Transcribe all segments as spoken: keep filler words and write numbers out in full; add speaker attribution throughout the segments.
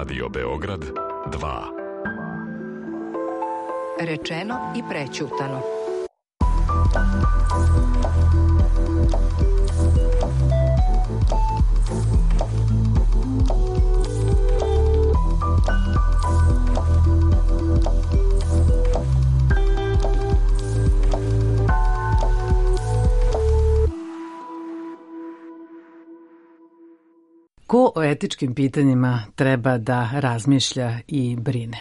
Speaker 1: Radio Beograd dva.
Speaker 2: Rečeno i prećutano.
Speaker 3: Ko o etičkim pitanjima treba da razmišlja i brine?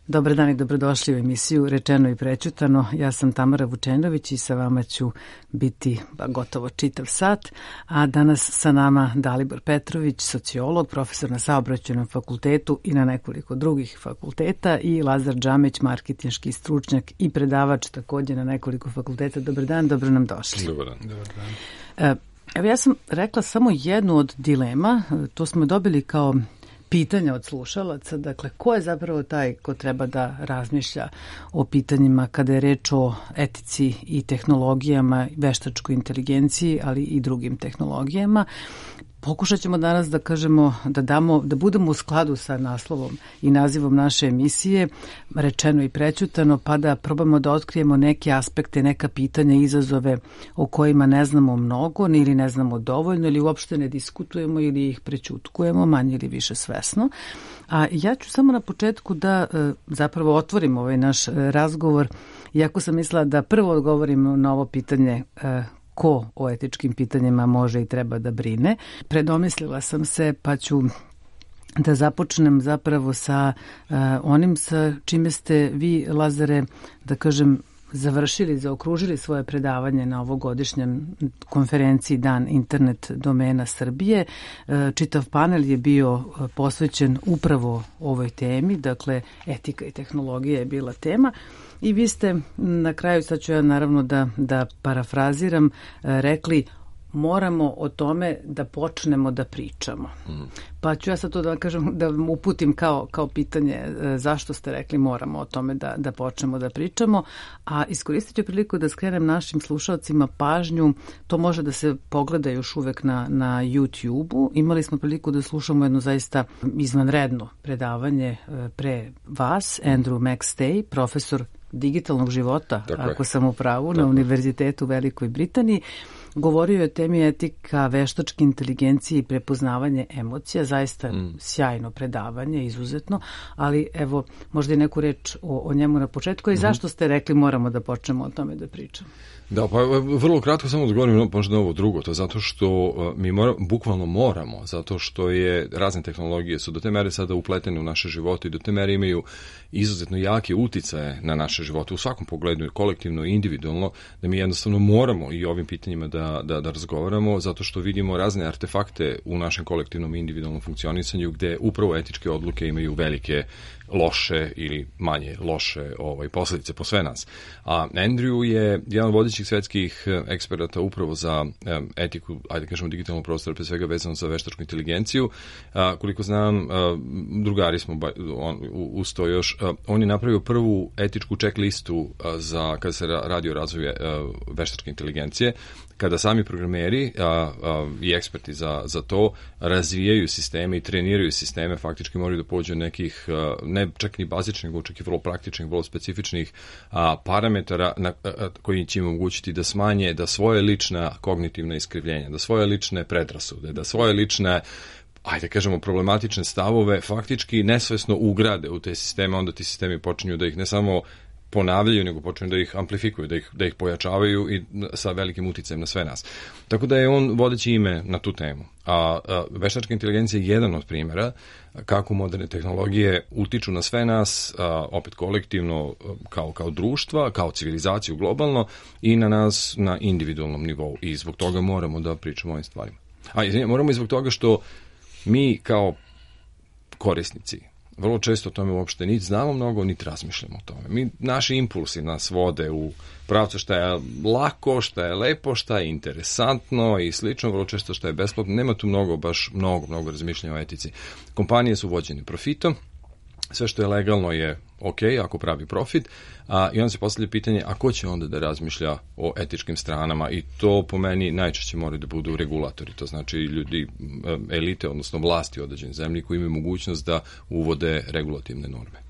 Speaker 3: Dobar dan i dobrodošli u emisiju Rečeno i prećutano. Ja sam Tamara Vučenović i sa vama ću biti ba, gotovo čitav sat. A danas sa nama Dalibor Petrović, sociolog, profesor na Saobraćajnom fakultetu i na nekoliko drugih fakulteta, i Lazar Džamić, marketinški stručnjak i predavač takođe na nekoliko fakulteta. Dobar dan, dobro nam došli.
Speaker 4: Dobar dan. Dobar dan.
Speaker 3: E, Evo, ja sam rekla samo jednu od dilema, to smo dobili kao pitanja od slušalaca, dakle, ko je zapravo taj ko treba da razmišlja o pitanjima kada je reč o etici i tehnologijama, veštačkoj inteligenciji, ali i drugim tehnologijama. Pokušat ćemo danas da kažemo, da damo, da budemo u skladu sa naslovom i nazivom naše emisije, Rečeno i prećutano, pa da probamo da otkrijemo neke aspekte, neka pitanja, izazove o kojima ne znamo mnogo ili ne znamo dovoljno ili uopšte ne diskutujemo ili ih prećutkujemo, manje ili više svesno. A ja ću samo na početku da zapravo otvorim ovaj naš razgovor, iako sam mislila da prvo odgovorim na ovo pitanje ko o etičkim pitanjima može i treba da brine. Predomislila sam se, pa ću da započnem zapravo sa uh, onim sa čime ste vi, Lazare, da kažem, završili, zaokružili svoje predavanje na ovogodišnjem konferenciji Dan internet domena Srbije. Čitav panel je bio posvećen upravo ovoj temi, dakle etika i tehnologija je bila tema. I vi ste na kraju, sad ću ja naravno da, da parafraziram, rekli moramo o tome da počnemo da pričamo. Mm. Pa ću ja sad to da kažem, da vam uputim kao, kao pitanje zašto ste rekli moramo o tome da, da počnemo da pričamo, a iskoristit ću priliku da skrenem našim slušalcima pažnju, to može da se pogleda još uvek na, na YouTube-u. Imali smo priliku da slušamo jedno zaista izvanredno predavanje pre vas, Andrew McStay, profesor digitalnog života, dakle, ako sam u pravu, dakle, na Univerzitetu u Velikoj Britaniji. Govorio je o temi etika, veštačke inteligencije i prepoznavanje emocija, zaista mm. sjajno predavanje, izuzetno, ali evo, možda i neku reč o, o njemu na početku i mm-hmm. zašto ste rekli moramo da počnemo o tome da pričamo?
Speaker 4: Da, pa vrlo kratko samo odgovorim možda na ovo drugo, to je zato što mi mora, bukvalno moramo, zato što je razne tehnologije su do te mere sada upletene u naše živote i do te mere imaju izuzetno jake uticaje na naše živote u svakom pogledu, kolektivno i individualno, da mi jednostavno moramo i ovim pitanjima da, da, da razgovaramo, zato što vidimo razne artefakte u našem kolektivnom i individualnom funkcionisanju gde upravo etičke odluke imaju velike loše ili manje loše ovaj, posledice po sve nas. A Andrew je jedan od vodećih svetskih eksperata upravo za um, etiku, ajde kažemo digitalnog prostora, pre svega vezano za veštačku inteligenciju. A, koliko znam, a, drugari smo on, uz to još, a, on je napravio prvu etičku checklistu a, za kada se radi o razvoju a, veštačke inteligencije, kada sami programeri a, a, i eksperti za, za to razvijaju sisteme i treniraju sisteme, faktički moraju da pođu nekih, a, ne čak ni bazičnih, nego čak i vrlo praktičnih, vrlo specifičnih a, parametara na, a, koji će im omogućiti da smanje, da svoje lična kognitivna iskrivljenja, da svoje lične predrasude, da svoje lične, ajde kažemo, problematične stavove faktički nesvesno ugrade u te sisteme, onda ti sistemi počinju da ih ne samo ponavljaju, nego počinju da ih amplifikuju, da ih, da ih pojačavaju i sa velikim uticajem na sve nas. Tako da je on vodeći ime na tu temu. A, a veštačka inteligencija je jedan od primjera kako moderne tehnologije utiču na sve nas, a, opet kolektivno, kao, kao društva, kao civilizaciju globalno i na nas na individualnom nivou. I zbog toga moramo da pričamo o ovim stvarima. A izvinjam, moramo i zbog toga što mi kao korisnici vrlo često o tome uopšte niti znamo mnogo, niti razmišljamo o tome. Mi, naši impulsi nas vode u pravcu šta je lako, šta je lepo, šta je interesantno i slično, vrlo često šta je besplatno. Nema tu mnogo, baš mnogo, mnogo razmišljanja o etici. Kompanije su vođene profitom, sve što je legalno je ok, ako pravi profit, a, i onda se postavlja pitanje, a ko će onda da razmišlja o etičkim stranama, i to po meni najčešće moraju da budu regulatori, to znači ljudi, elite, odnosno vlasti u određenoj zemlji koji imaju mogućnost da uvode regulativne norme.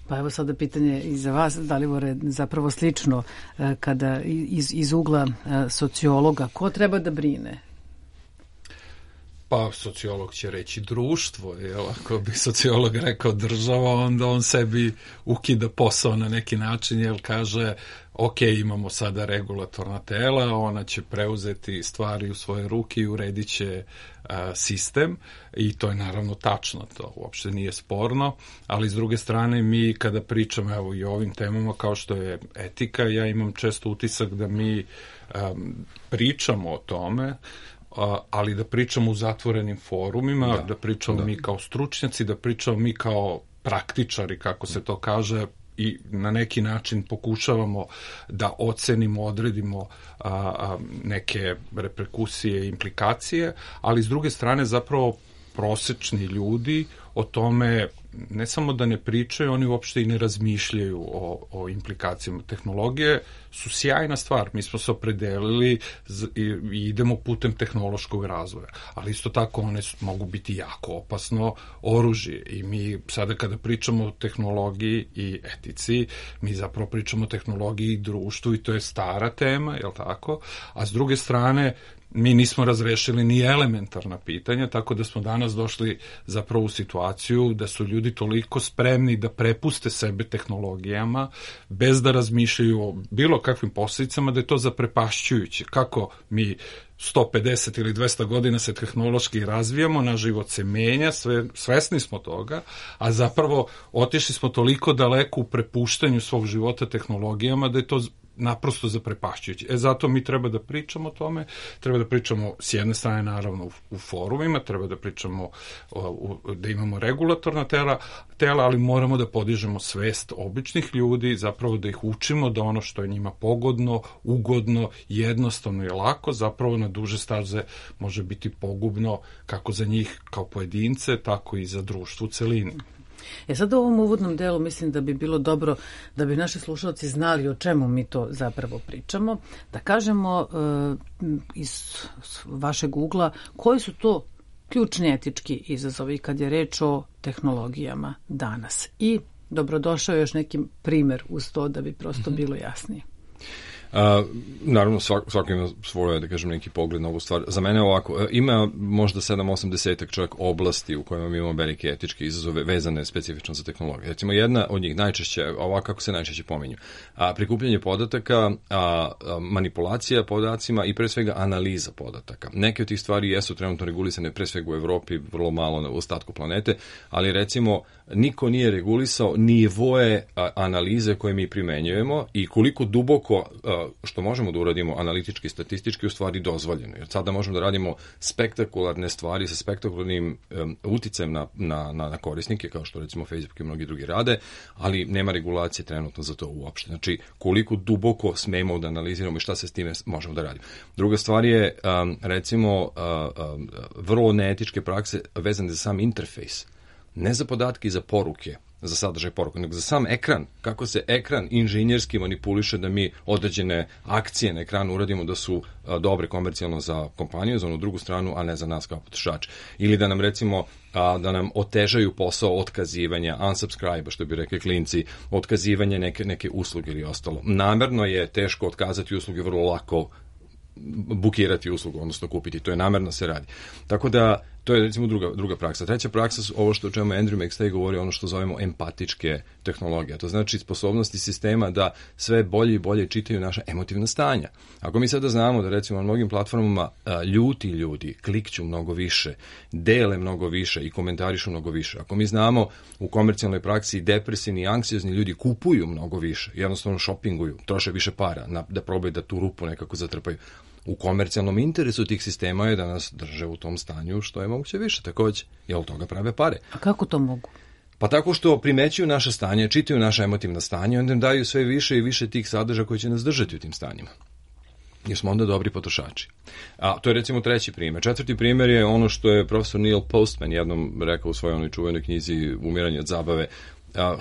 Speaker 3: Pa evo sada pitanje i za vas, Dalibore, zapravo slično, kada iz, iz ugla sociologa, ko treba da brine?
Speaker 5: Pa sociolog će reći društvo, jel? Ako bi sociolog rekao država, onda on sebi ukida posao na neki način, jer kaže, ok, imamo sada regulatorna tela, ona će preuzeti stvari u svoje ruke i uredit će a, sistem, i to je naravno tačno, to uopšte nije sporno, ali s druge strane mi kada pričamo evo i o ovim temama kao što je etika, ja imam često utisak da mi a, pričamo o tome, ali da pričamo u zatvorenim forumima, da, da pričamo da. mi kao stručnjaci, da pričamo mi kao praktičari, kako se to kaže, i na neki način pokušavamo da ocenimo, odredimo a, a, neke reperkusije i implikacije, ali s druge strane zapravo prosečni ljudi o tome ne samo da ne pričaju, oni uopšte i ne razmišljaju o, o implikacijama tehnologije, su sjajna stvar. Mi smo se opredelili i, i idemo putem tehnološkog razvoja, ali isto tako one su, mogu biti jako opasno oružje, i mi sada kada pričamo o tehnologiji i etici, mi zapravo pričamo o tehnologiji i društvu, i to je stara tema, je li tako? A s druge strane, mi nismo razrešili ni elementarna pitanja, tako da smo danas došli zapravo u situaciju da su ljudi toliko spremni da prepuste sebe tehnologijama bez da razmišljaju o bilo kakvim posljedicama, da je to zaprepašćujuće. Kako mi sto pedeset ili dvesta godina se tehnološki razvijamo, naš život se menja, sve, svesni smo toga, a zapravo otišli smo toliko daleko u prepuštanju svog života tehnologijama da je to naprosto zaprepašćujući. E, zato mi treba da pričamo o tome, treba da pričamo s jedne strane naravno u, u forumima, treba da pričamo o, u, da imamo regulatorna tela, tela, ali moramo da podižemo svest običnih ljudi, zapravo da ih učimo da ono što je njima pogodno, ugodno, jednostavno i lako, zapravo na duže staze može biti pogubno kako za njih kao pojedince, tako i za društvo u celini.
Speaker 3: E sad u ovom uvodnom delu mislim da bi bilo dobro da bi naši slušalci znali o čemu mi to zapravo pričamo, da kažemo e, iz vašeg ugla koji su to ključni etički izazovi kad je reč o tehnologijama danas. I dobrodošao još neki primer uz to da bi prosto mm-hmm. bilo jasnije.
Speaker 4: Uh, naravno, svak, svako ima svoje, da kažem, neki pogled na ovu stvar. Za mene ovako, ima možda sedam osam desetak čak oblasti u kojima mi imamo velike etičke izazove vezane specifično za tehnologiju. Recimo, jedna od njih najčešće, ovako kako se najčešće pominju, a, prikupljanje podataka, a, a, manipulacija podacima i pre svega analiza podataka. Neke od tih stvari jesu trenutno regulisane pre svega u Evropi, vrlo malo na ostatku planete, ali recimo niko nije regulisao nivoe a, analize koje mi primenjujemo i koliko duboko a, što možemo da uradimo analitički, statistički, u stvari dozvoljeno. Jer sada možemo da radimo spektakularne stvari sa spektakularnim um, uticajem na, na, na korisnike, kao što recimo Facebook i mnogi drugi rade, ali nema regulacije trenutno za to uopšte. Znači, koliko duboko smemo da analiziramo i šta se s time možemo da radimo. Druga stvar je, um, recimo, uh, um, vrlo neetičke prakse vezane za sam interfejs. Ne za podatke i za poruke, za sadržaj poruka, nego za sam ekran, kako se ekran inženjerski manipuliše da mi određene akcije na ekranu uradimo da su a, dobre komercijalno za kompaniju, za onu drugu stranu, a ne za nas kao potrošače. Ili da nam recimo, a, da nam otežaju posao otkazivanja, unsubscribe, što bi rekli klinci, otkazivanje neke, neke usluge ili ostalo. Namerno je teško otkazati usluge, vrlo lako bukirati uslugu, odnosno kupiti. To je namerno se radi. Tako da, to je recimo druga, druga praksa. Treća praksa su ovo što o čemu Andrew McStay govori, ono što zovemo empatičke tehnologije. To znači sposobnosti sistema da sve bolje i bolje čitaju naša emotivna stanja. Ako mi sada znamo da recimo na mnogim platformama a, ljuti ljudi klikću mnogo više, dele mnogo više i komentarišu mnogo više. Ako mi znamo u komercijalnoj praksi depresivni i anksiozni ljudi kupuju mnogo više, jednostavno šopinguju, troše više para na, da probaju da tu rupu nekako zatrpaju. U komercijalnom interesu tih sistema je da nas drže u tom stanju što je moguće više takođe, jer od toga prave pare.
Speaker 3: A kako to mogu?
Speaker 4: Pa tako što primećuju naše stanje, čitaju naša emotivna stanja, onda im daju sve više i više tih sadržaja koji će nas držati u tim stanjima. jer smo onda dobri potrošači. A to je recimo treći primjer. Četvrti primjer je ono što je profesor Neil Postman jednom rekao u svojoj onoj čuvenoj knjizi Umiranje od zabave,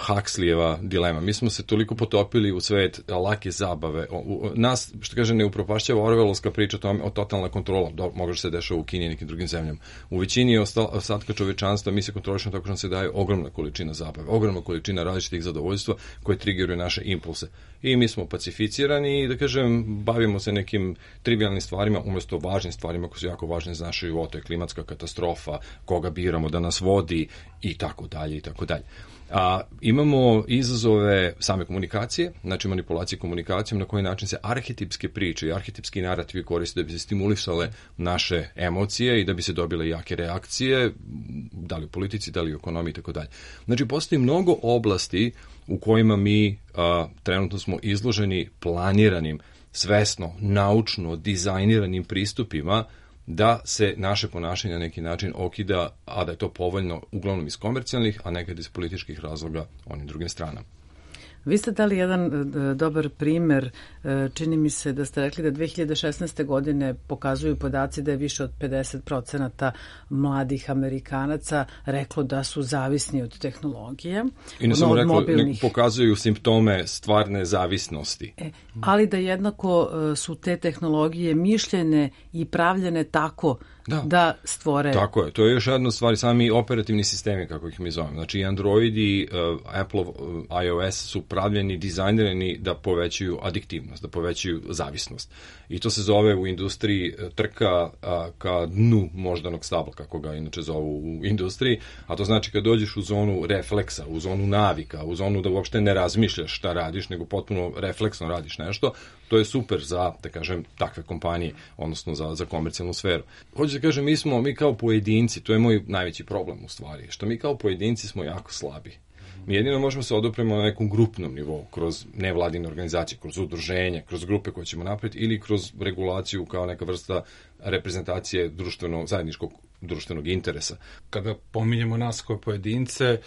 Speaker 4: Huxleyjeva dilema. Mi smo se toliko potopili u svet lake zabave. O, u, nas, što kaže, ne upropašćava Orwellovska priča o, o totalna kontrola. Do, može se dešava u Kini i nekim drugim zemljama. U većini ostatka čovečanstva mi se kontrolišemo tako što nam se daje ogromna količina zabave, ogromna količina različitih zadovoljstva koje triggeruje naše impulse. I mi smo pacificirani i, da kažem, bavimo se nekim trivialnim stvarima umjesto važnim stvarima koje su jako važne za naše živote, klimatska katastrofa, koga biramo da nas vodi i tako dalje i tako dalje. A imamo izazove same komunikacije, znači manipulacije komunikacijom, na koji način se arhetipske priče i arhetipski narativi koriste da bi se stimulisale naše emocije i da bi se dobile jake reakcije, da li u politici, da li u ekonomiji i tako dalje. Znači, postoji mnogo oblasti u kojima mi a, trenutno smo izloženi planiranim, svesno, naučno, dizajniranim pristupima da se naše ponašanje na neki način okida, a da je to povoljno uglavnom iz komercijalnih, a nekad iz političkih razloga onim drugim stranama.
Speaker 3: Vi ste dali jedan dobar primer, čini mi se da ste rekli da dve hiljade šesnaeste. godine pokazuju podaci da je više od pedeset procenata mladih Amerikanaca reklo da su zavisni od tehnologije.
Speaker 4: I ne samo reklo, ne pokazuju simptome stvarne zavisnosti.
Speaker 3: E, ali da jednako su te tehnologije mišljene i pravljene tako Da. da stvore...
Speaker 4: Tako je, to je još jedna stvar, sami operativni sistemi, kako ih mi zovem. Znači, Android i uh, Apple uh, iOS su pravljeni, dizajnirani da povećaju adiktivnost, da povećaju zavisnost. I to se zove u industriji trka uh, ka dnu moždanog stabla, kako ga inače zovu u industriji, a to znači kad dođeš u zonu refleksa, u zonu navika, u zonu da uopšte ne razmišljaš šta radiš, nego potpuno refleksno radiš nešto, to je super za, da kažem, takve kompanije, odnosno za, za komercijalnu sferu. Hoću da kažem, mi smo, mi kao pojedinci, to je moj najveći problem u stvari, što mi kao pojedinci smo jako slabi. Mi jedino možemo se odupremo na nekom grupnom nivou, kroz nevladine organizacije, kroz udruženje, kroz grupe koje ćemo napraviti ili kroz regulaciju kao neka vrsta reprezentacije društvenog, zajedničkog društvenog interesa.
Speaker 5: Kada pominjemo nas kao pojedince,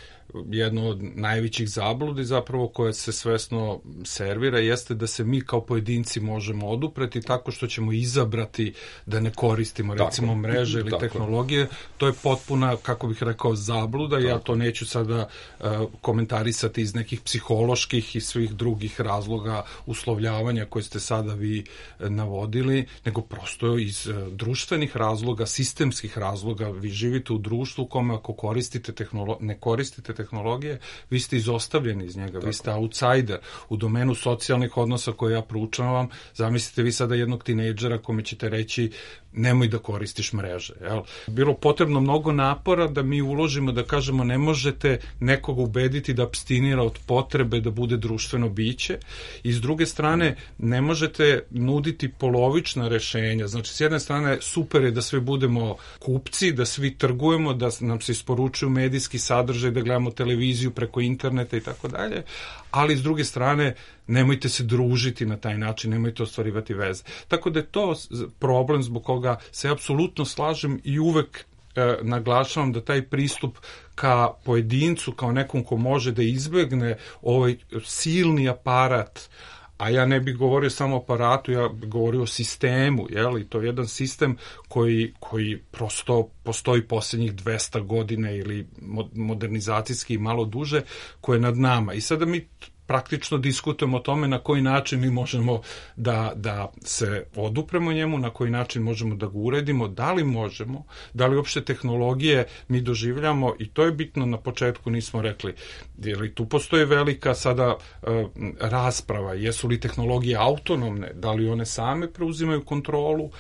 Speaker 5: jedno od najvećih zabludi zapravo koje se svesno servira jeste da se mi kao pojedinci možemo odupreti tako što ćemo izabrati da ne koristimo tako, recimo mreže ili tako. tehnologije. To je potpuna, kako bih rekao, zabluda. Tako. Ja to neću sada uh, komentarisati iz nekih psiholoških i svih drugih razloga uslovljavanja koje ste sada vi uh, navodili, nego prosto iz uh, društvenih razloga, sistemskih razloga. Vi živite u društvu u kome ako koristite tehnolo- ne koristite tehnologije, vi ste izostavljeni iz njega, tako. Vi ste outsider. U domenu socijalnih odnosa koje ja proučavam, zamislite vi sada jednog tinejdžera kome ćete reći nemoj da koristiš mreže. Jel? Bilo potrebno mnogo napora da mi uložimo, da kažemo ne možete nekoga ubediti da apstinira od potrebe da bude društveno biće i s druge strane ne možete nuditi polovična rešenja. Znači s jedne strane super je da svi budemo kupci, da svi trgujemo, da nam se isporučuju medijski sadržaj, da gledamo televiziju preko interneta i tako dalje, ali s druge strane nemojte se družiti na taj način, nemojte ostvarivati veze. Tako da je to problem zbog koga se apsolutno slažem i uvek e, naglašavam da taj pristup ka pojedincu, kao nekom ko može da izbegne ovaj silni aparat, a ja ne bih govorio samo o aparatu, ja bih govorio o sistemu, jel? I to je jedan sistem koji, koji prosto postoji posljednjih dvesta godina ili modernizacijski malo duže, koje je nad nama. I sada mi praktično diskutujemo o tome na koji način mi možemo da, da se odupremo njemu, na koji način možemo da ga uredimo, da li možemo, da li uopšte tehnologije mi doživljamo, i to je bitno, na početku nismo rekli, jer li tu postoji velika sada uh, rasprava, jesu li tehnologije autonomne, da li one same preuzimaju kontrolu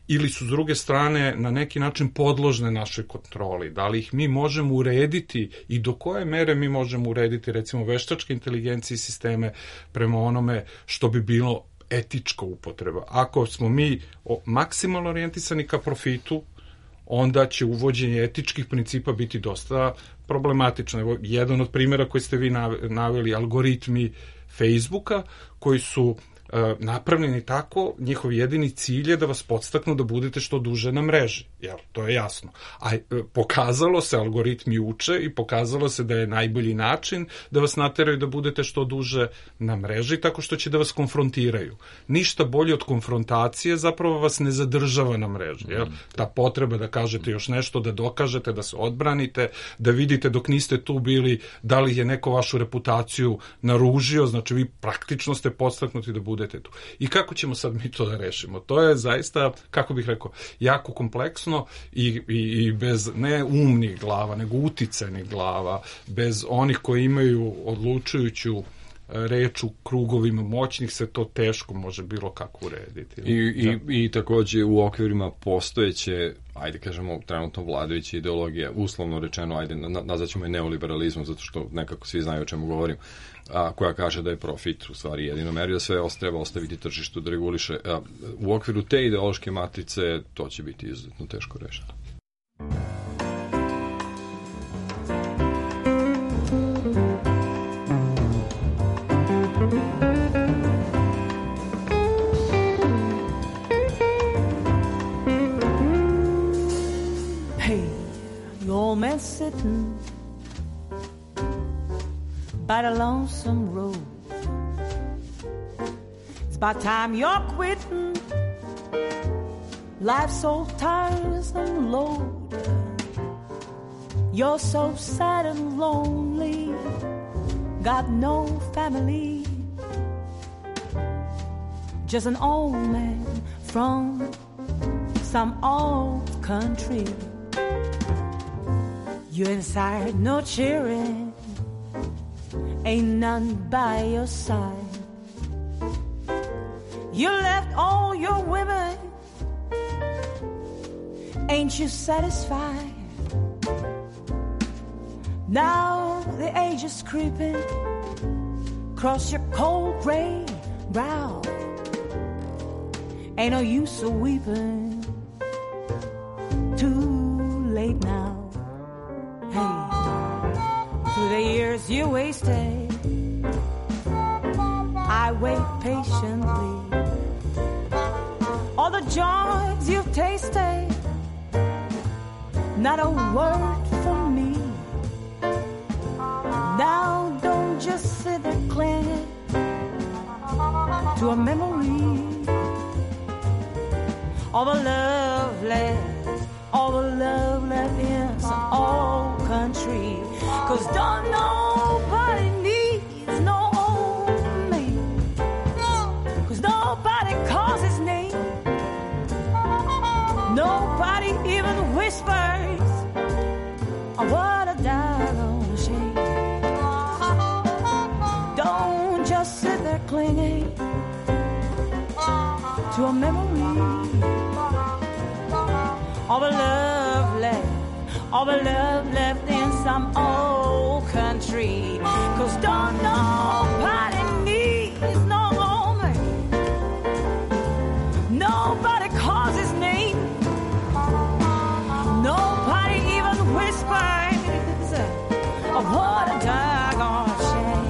Speaker 5: ili su s druge strane na neki način podložne našoj kontroli, da li ih mi možemo urediti i do koje mere mi možemo urediti recimo veštačke inteligencije i sisteme prema onome što bi bilo etička upotreba. Ako smo mi maksimalno orijentisani ka profitu, onda će uvođenje etičkih principa biti dosta problematično. Evo, jedan od primjera koji ste vi naveli, algoritmi Facebooka, koji su napravljeni tako, njihov jedini cilj je da vas podstaknu da budete što duže na mreži, jel, to je jasno. A pokazalo se, algoritmi uče i pokazalo se da je najbolji način da vas nateraju da budete što duže na mreži, tako što će da vas konfrontiraju. Ništa bolje od konfrontacije zapravo vas ne zadržava na mreži, jel? Ta potreba da kažete još nešto, da dokažete, da se odbranite, da vidite dok niste tu bili da li je neko vašu reputaciju naružio, znači vi praktično ste podstaknuti da budete tu. I kako ćemo sad mi to da rešimo? To je zaista, kako bih rekao, jako kompleksno i, i, i bez ne umnih glava, nego uticajnih glava, bez onih koji imaju odlučujuću reč u krugovima moćnih se to teško može bilo kako urediti.
Speaker 4: I, i, i takođe u okvirima postojeće, ajde kažemo, trenutno vladajuće ideologije, uslovno rečeno, ajde, nazvaćemo je neoliberalizmom, zato što nekako svi znaju o čemu govorim, a, koja kaže da je profit u stvari jedino meri, da sve treba ostaviti tržištu da reguliše. A, u okviru te ideološke matrice to će biti izuzetno teško rešeno.
Speaker 6: Old man sitting by the lonesome road. It's about time you're quitting. Life's so tiresome load. You're so sad and lonely. Got no family. Just an old man from some old country. You're inside, no cheering, ain't none by your side. You left all your women, ain't you satisfied? Now the age is creeping across your cold gray brow. Ain't no use of weeping, too late now. Through the years you wasted, I wait patiently. All the joys you've tasted, not a word from me. Now don't just sit there clinging to a memory. All the love left, all the love left in some old country. Cause don't nobody needs no old man. Cause nobody calls his name. Nobody even whispers, oh, what a doggone shame. Don't just sit there clinging to a memory. All the love left, all the love left in some old country. Cause don't nobody needs no woman. Nobody calls his name. Nobody even whispers, oh, what a doggone shame.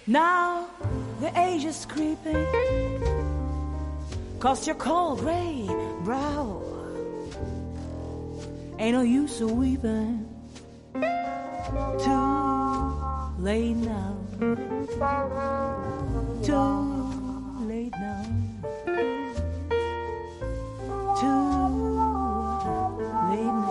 Speaker 6: Now the age is creeping across your cold gray brow. Ain't no use of weeping, too late now, too late now, too late now.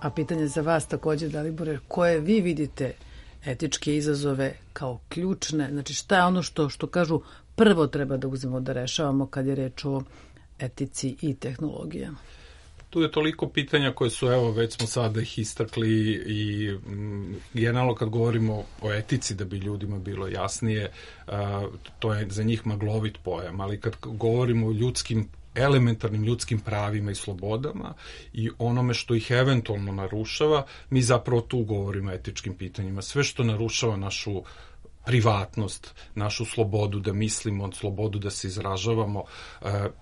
Speaker 3: A pitanje za vas takođe, Dalibore, koje vi vidite etičke izazove kao ključne? Znači šta je ono što, što kažu prvo treba da uzmemo da rešavamo kad je reč o etici i tehnologijama?
Speaker 5: tu je toliko pitanja koje su, evo, već smo sada ih istakli i m, generalno kad govorimo o etici, da bi ljudima bilo jasnije, a, to je za njih maglovit pojam, ali kad govorimo o ljudskim elementarnim ljudskim pravima i slobodama i onome što ih eventualno narušava, mi zapravo tu govorimo o etičkim pitanjima. Sve što narušava našu privatnost, našu slobodu da mislimo, slobodu da se izražavamo,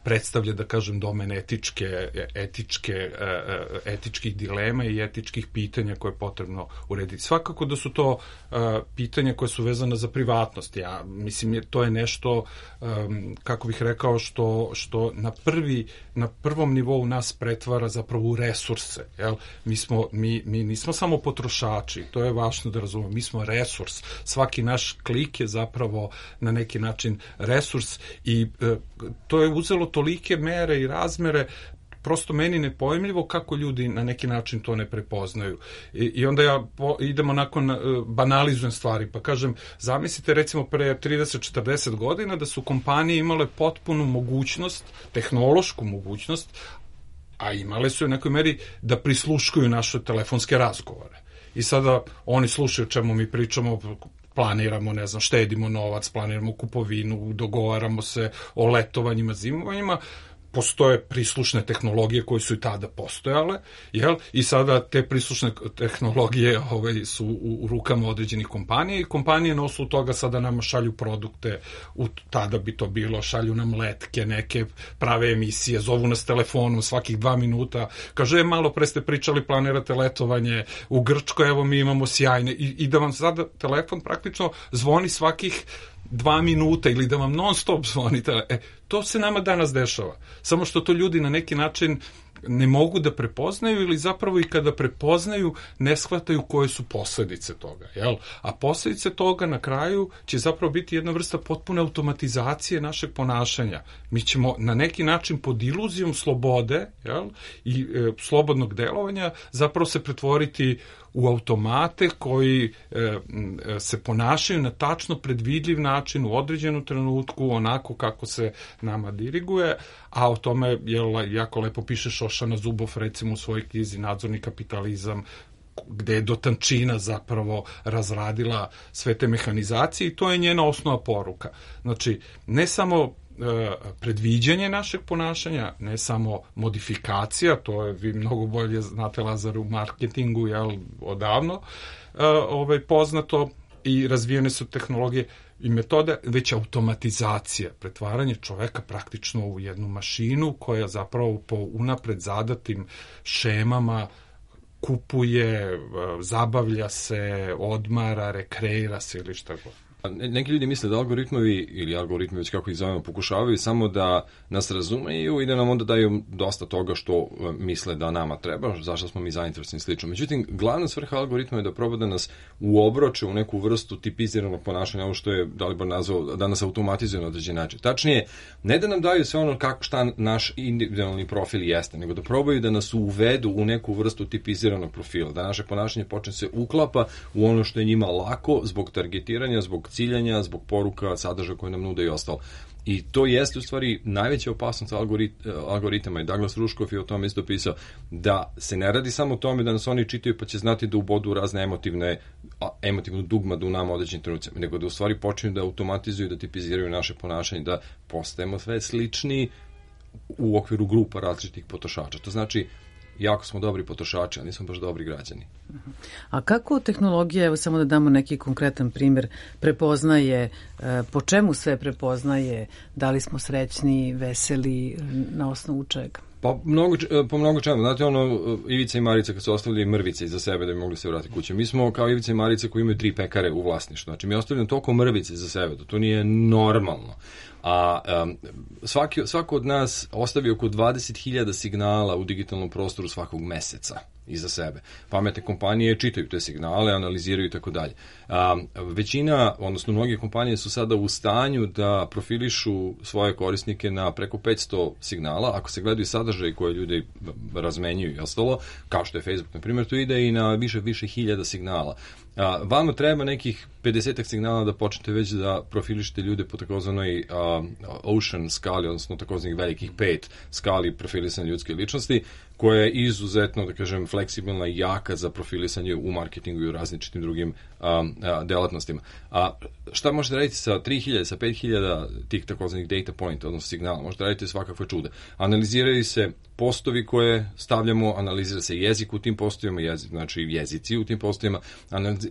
Speaker 5: predstavlja, da kažem, domen etičke, etičke, etičkih dilema i etičkih pitanja koje je potrebno urediti. Svakako da su to pitanja koje su vezane za privatnost. Ja mislim, to je nešto, kako bih rekao, što, što na, prvi, na prvom nivou nas pretvara zapravo u resurse. Jel? Mi, smo, mi, mi nismo samo potrošači, to je važno da razumemo, mi smo resurs. Svaki naš klik je zapravo na neki način resurs i e, to je uzelo tolike mere i razmere, prosto meni nepojmljivo kako ljudi na neki način to ne prepoznaju. I, i onda ja po, idemo nakon, e, banalizujem stvari, pa kažem, zamislite recimo pre trideset do četrdeset godina da su kompanije imale potpunu mogućnost, tehnološku mogućnost, a imale su u nekoj meri da prisluškuju naše telefonske razgovore. I sada oni slušaju o čemu mi pričamo, planiramo, ne znam, štedimo novac, planiramo kupovinu, dogovaramo se o letovanjima, zimovanjima, postoje prislušne tehnologije koje su i tada postojale, jel? I sada te prislušne tehnologije ovaj, su u, u rukama određenih kompanija i kompanije na osnovu toga sada nama šalju produkte, u, tada bi to bilo, šalju nam letke, neke prave emisije, zovu nas telefonom svakih dva minuta, kaže, e, malo pre ste pričali, planirate letovanje u Grčkoj, evo mi imamo sjajne, i, i da vam sada telefon praktično zvoni svakih dva minuta ili da vam non stop zvonite. E, to se nama danas dešava. Samo što to ljudi na neki način ne mogu da prepoznaju ili zapravo i kada prepoznaju ne shvataju koje su posledice toga. Jel? A posledice toga na kraju će zapravo biti jedna vrsta potpune automatizacije našeg ponašanja. Mi ćemo na neki način pod iluzijom slobode, jel, i e, slobodnog delovanja zapravo se pretvoriti u automate koji e, se ponašaju na tačno predvidljiv način u određenom trenutku, onako kako se nama diriguje, a o tome jel, jako lepo piše Šošana Zuboff recimo u svojoj knjizi Nadzorni kapitalizam, gde je do tančina zapravo razradila sve te mehanizacije i to je njena osnova poruka. Znači, ne samo predviđanje našeg ponašanja, ne samo modifikacija, to je, vi mnogo bolje znate, Lazar, u marketingu, jel, odavno, ovaj, poznato i razvijene su tehnologije i metode, već automatizacija, pretvaranje čoveka praktično u jednu mašinu koja zapravo po unapred zadatim šemama kupuje, zabavlja se, odmara, rekreira se ili šta god.
Speaker 4: Neki ljudi misle da algoritmovi, ili algoritmi već kako ih zovemo, pokušavaju samo da nas razumeju i da nam onda daju dosta toga što misle da nama treba, zašto smo mi zainteresni i slično. Međutim, glavna svrha algoritma je da proba da nas uobroče u neku vrstu tipiziranog ponašanja, ovo što je Dalibor nazvao, da nas automatizuje na određen način. Tačnije, ne da nam daju sve ono kako, šta naš individualni profil jeste, nego da probaju da nas uvedu u neku vrstu tipiziranog profila, da naše ponašanje počne se uklapa u ono što je njima lako zbog targetiranja, zbog ciljanja, zbog poruka, sadržaja koje nam nude i ostalo. I to jeste u stvari najveća opasnost algorit, algoritama i Douglas Rushkoff je o tome isto pisao, da se ne radi samo o tome da nas oni čitaju pa će znati da ubodu razne emotivne, emotivnu dugmadu u nama određenim trenucima, nego da u stvari počinju da automatizuju, da tipiziraju naše ponašanje, da postajemo sve slični u okviru grupa različitih potrošača. To znači, jako smo dobri potrošači, a nismo baš dobri građani.
Speaker 3: A kako tehnologija, evo samo da damo neki konkretan primjer, prepoznaje, po čemu sve prepoznaje, da li smo srećni, veseli, na osnovu čega?
Speaker 4: Pa mnogo, po mnogo čemu. Znate, ono, Ivica i Marica kad su ostavili mrvice iza sebe da bi mogli se vratiti kuće. Mi smo kao Ivica i Marica koji imaju tri pekare u vlasništvu. Znači, mi ostavljamo toliko mrvice iza sebe, da to nije normalno. A um, svaki, svako od nas ostavi oko dvadeset hiljada signala u digitalnom prostoru svakog meseca iza sebe. Pametne kompanije čitaju te signale, analiziraju i tako dalje. Većina, odnosno mnoge kompanije su sada u stanju da profilišu svoje korisnike na preko petsto signala. Ako se gledaju sadržaj koje ljudi razmenjuju i ostalo, kao što je Facebook, na primjer, to ide i na više, više hiljada signala. A, vama treba nekih pedesetak signala da počnete već da profilišete ljude po takozvanoj Ocean skali, odnosno takozvanih velikih pet skali profilisanja ljudske ličnosti. koja je izuzetno, da kažem, fleksibilna i jaka za profilisanje u marketingu i u različitim drugim a, a, delatnostima. A šta možete raditi sa tri hiljade, sa pet hiljada tih takozvanih data point, odnosno signala? Možete raditi svakakve čude. Analiziraju se postovi koje stavljamo, analizira se jezik u tim postovima, jezik, znači jezici u tim postovima,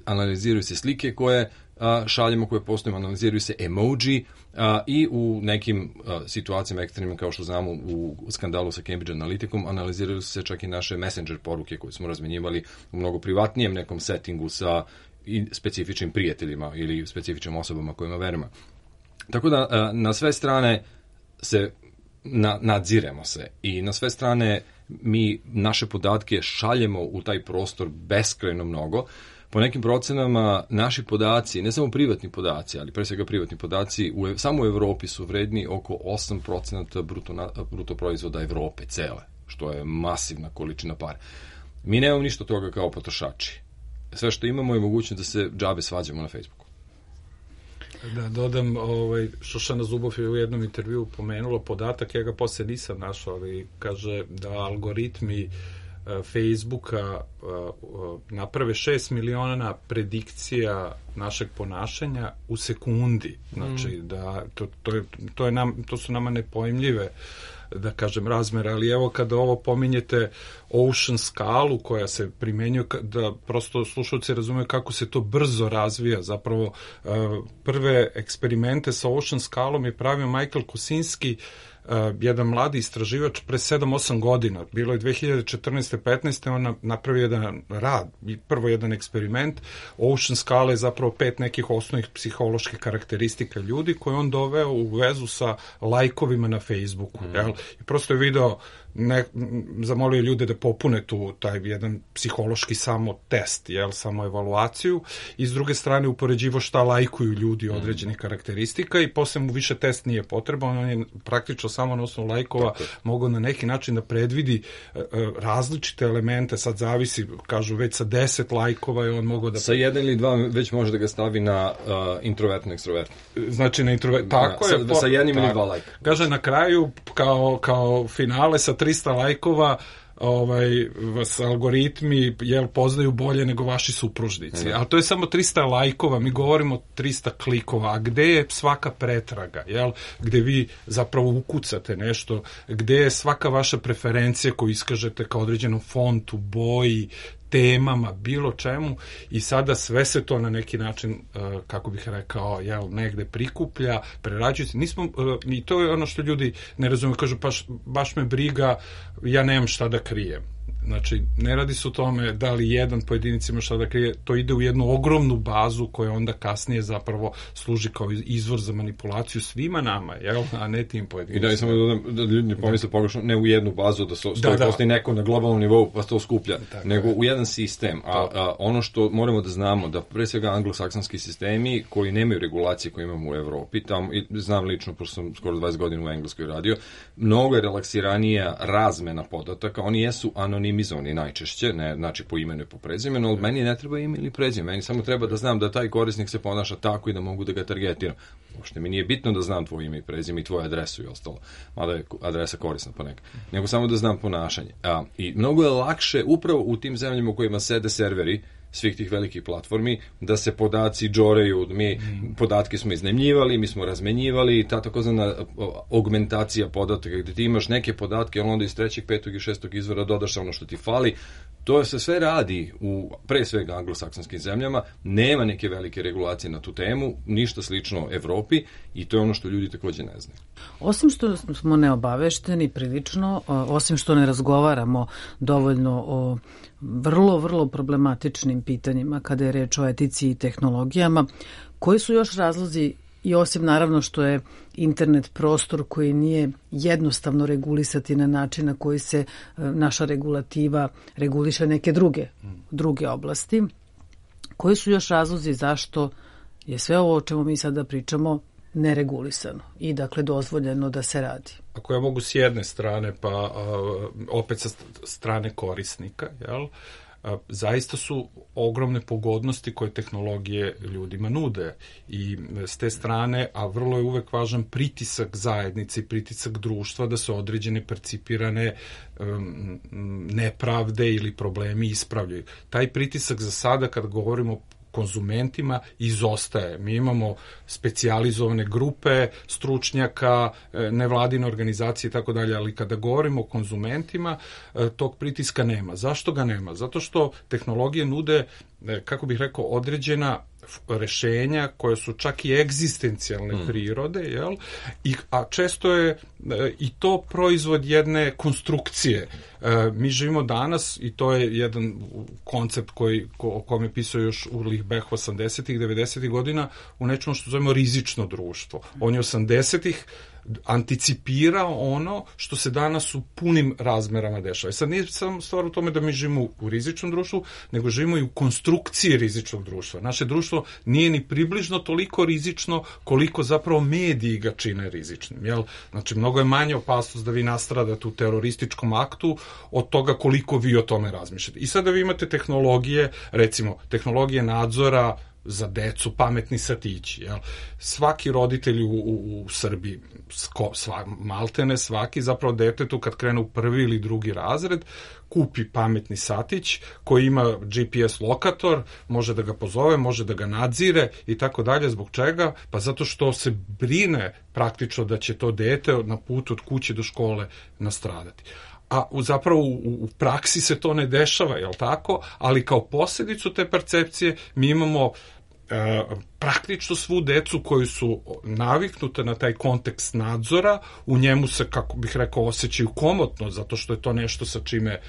Speaker 4: analiziraju se slike koje a, šaljemo, koje postavimo, analiziraju se emoji a, i u nekim a, situacijama ekstremnim, kao što znamo u skandalu sa Cambridge Analyticom, analiziraju se čak i naše messenger poruke koje smo razmenjivali u mnogo privatnijem nekom settingu sa i specifičnim prijateljima ili specifičnim osobama kojima verujemo. Tako da a, na sve strane se na, nadziremo se i na sve strane mi naše podatke šaljemo u taj prostor beskrajno mnogo. Po nekim procenama naši podaci, ne samo privatni podaci, ali pre svega privatni podaci, u, samo u Evropi su vredni oko osam procenata bruto, bruto proizvoda Evrope cele, što je masivna količina para. Mi nemamo ništa toga kao potrošači. Sve što imamo je mogućnost da se džabe svađamo na Facebooku.
Speaker 5: Da dodam, ovaj, Šošana Zubov je u jednom intervju pomenula podatak, ja ga posle nisam našao, ali kaže da algoritmi Facebooka naprave šest miliona predikcija našeg ponašanja u sekundi. Znači, mm. da to, to, je, to, je nam, to su nama nepojmljive, da kažem, razmere, ali evo kada ovo pominjete Ocean skalu koja se primenjuje, da prosto slušalci razumeju kako se to brzo razvija. Zapravo prve eksperimente sa Ocean skalom je pravio Michael Kosinski, Uh, jedan mladi istraživač pre sedam osam godina. Bilo je dve hiljade četrnaeste petnaeste on napravio jedan rad, prvo jedan eksperiment. Ocean skala je zapravo pet nekih osnovnih psiholoških karakteristika ljudi koje on doveo u vezu sa lajkovima na Facebooku. Mm. Jel? I prosto je video, ne, zamolio ljude da popune tu taj jedan psihološki samo test, jel, samo evaluaciju, i s druge strane upoređivo šta lajkuju ljudi određenih karakteristika i posle mu više test nije potreban, on je praktično samo na osnovu lajkova mogao na neki način da predvidi uh, različite elemente, sad zavisi, kažu već sa deset lajkova je on mogao da...
Speaker 4: Sa jedan ili dva već može da ga stavi na uh, introvertno, ekstrovertno.
Speaker 5: Znači na introvertno, tako
Speaker 4: da,
Speaker 5: je.
Speaker 4: Sa, sa jednim ili dva lajka.
Speaker 5: Kaže na kraju, kao, kao finale sa trista lajkova, ovaj, vas algoritmi jel, poznaju bolje nego vaši supružnici. Mm. Ali to je samo trista lajkova, mi govorimo trista klikova, a gde je svaka pretraga, jel? Gde vi zapravo ukucate nešto, gde je svaka vaša preferencija koju iskažete kao određenom fontu, boji, temama, bilo čemu, i sada sve se to na neki način, kako bih rekao, jel, negde prikuplja, prerađuje se. Nismo, i to je ono što ljudi ne razumiju, kažu, baš, baš me briga, ja nemam šta da krijem. Znači, ne radi se o tome da li jedan pojedinac ima šta da krije, to ide u jednu ogromnu bazu koja onda kasnije zapravo služi kao izvor za manipulaciju svima nama, jel? A ne tim pojedinicima.
Speaker 4: I da, i samo da dodam, da ljudi ne pomisle pogrešno, ne u jednu bazu da stoji, da, da. Postoji neko na globalnom nivou pa to skuplja, tako nego je. U jedan sistem. A, a ono što moramo da znamo, da pre svega anglosaksonski sistemi koji nemaju regulacije koje imamo u Evropi, tamo, i znam lično, pošto sam skoro dvadeset godina u Engleskoj radio, mnogo je relaksiranija razmena podataka, oni jesu anonimni minimizovani najčešće, ne, znači po imenu i po prezimenu, ali meni ne treba ime ili prezime, meni samo treba da znam da taj korisnik se ponaša tako i da mogu da ga targetiram. Uopšte mi nije bitno da znam tvoje ime i prezime i tvoju adresu i ostalo, mada je adresa korisna ponekad, nego samo da znam ponašanje. A, i mnogo je lakše upravo u tim zemljama u kojima sede serveri svih tih velikih platformi, da se podaci džoreju, mi mm. podatke smo iznajmljivali, mi smo razmenjivali, ta takozvana augmentacija podataka, gde ti imaš neke podatke, ali onda iz trećeg, petog i šestog izvora dodaš ono što ti fali. To se sve radi u, pre svega, anglosaksonskim zemljama, nema neke velike regulacije na tu temu, ništa slično Evropi, i to je ono što ljudi takođe ne znaju.
Speaker 3: Osim što smo neobavešteni prilično, osim što ne razgovaramo dovoljno o vrlo, vrlo problematičnim pitanjima kada je reč o etici i tehnologijama, koji su još razlozi, i osim naravno što je internet prostor koji nije jednostavno regulisati na način na koji se naša regulativa reguliše neke druge, druge oblasti, koji su još razlozi zašto je sve ovo o čemu mi sada pričamo neregulisano i dakle dozvoljeno da se radi?
Speaker 5: Ako ja mogu s jedne strane, pa a, opet sa strane korisnika, jel? zaista su ogromne pogodnosti koje tehnologije ljudima nude i s te strane, a vrlo je uvek važan pritisak zajednice i pritisak društva da se određene percipirane um, nepravde ili problemi ispravljaju. Taj pritisak za sada, kad govorimo konzumentima, izostaje. Mi imamo specijalizovane grupe stručnjaka, nevladine organizacije i tako dalje, ali kada govorimo o konzumentima, tog pritiska nema. Zašto ga nema? Zato što tehnologije nude, kako bih rekao, određena rešenja koje su čak i egzistencijalne mm. prirode, jel? I, a često je i to proizvod jedne konstrukcije. E, mi živimo danas, i to je jedan koncept koji, ko, o kome je pisao još Ulrich Beck osamdesetih, devedesetih godina, u nečemu što zovemo rizično društvo. On je osamdesetih anticipirao ono što se danas u punim razmerama dešava. I sad nije samo stvar u tome da mi živimo u rizičnom društvu, nego živimo i u konstrukciji rizičnog društva. Naše društvo nije ni približno toliko rizično koliko zapravo mediji ga čine rizičnim. Jel? Znači, mnogo je manje opasnost da vi nastradate u terorističkom aktu od toga koliko vi o tome razmišljate. I sada vi imate tehnologije, recimo, tehnologije nadzora za decu, pametni satići. Jel? Svaki roditelj u, u, u Srbiji, sko, sva, maltene svaki, zapravo detetu kad krene u prvi ili drugi razred, kupi pametni satić koji ima G P S lokator, može da ga pozove, može da ga nadzire i tako dalje. Zbog čega? Pa zato što se brine praktično da će to dete na putu od kuće do škole nastradati. A u, zapravo u, u praksi se to ne dešava, jel tako? Ali kao posljedicu te percepcije mi imamo e, praktično svu decu koji su naviknute na taj kontekst nadzora, u njemu se, kako bih rekao, osjećaju komotno, zato što je to nešto sa čime e,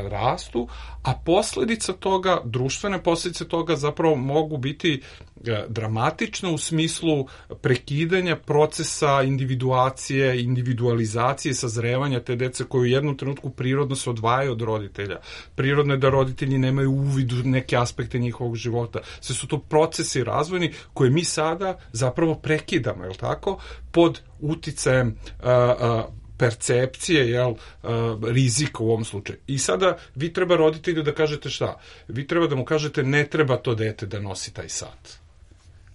Speaker 5: rastu, a posljedica toga, društvene posljedice toga zapravo mogu biti e, dramatične u smislu prekidanja procesa individuacije, individualizacije, sazrevanja te dece koji u jednom trenutku prirodno se odvajaju od roditelja. Prirodno je da roditelji nemaju uvid u neke aspekte njihovog života. Sve su to procesi razvojni koje mi sada zapravo prekidamo, je li tako? Pod uticajem a, a, percepcije, jel, rizika u ovom slučaju. I sada vi treba roditelju da kažete šta? Vi treba da mu kažete ne treba to dete da nosi taj sat.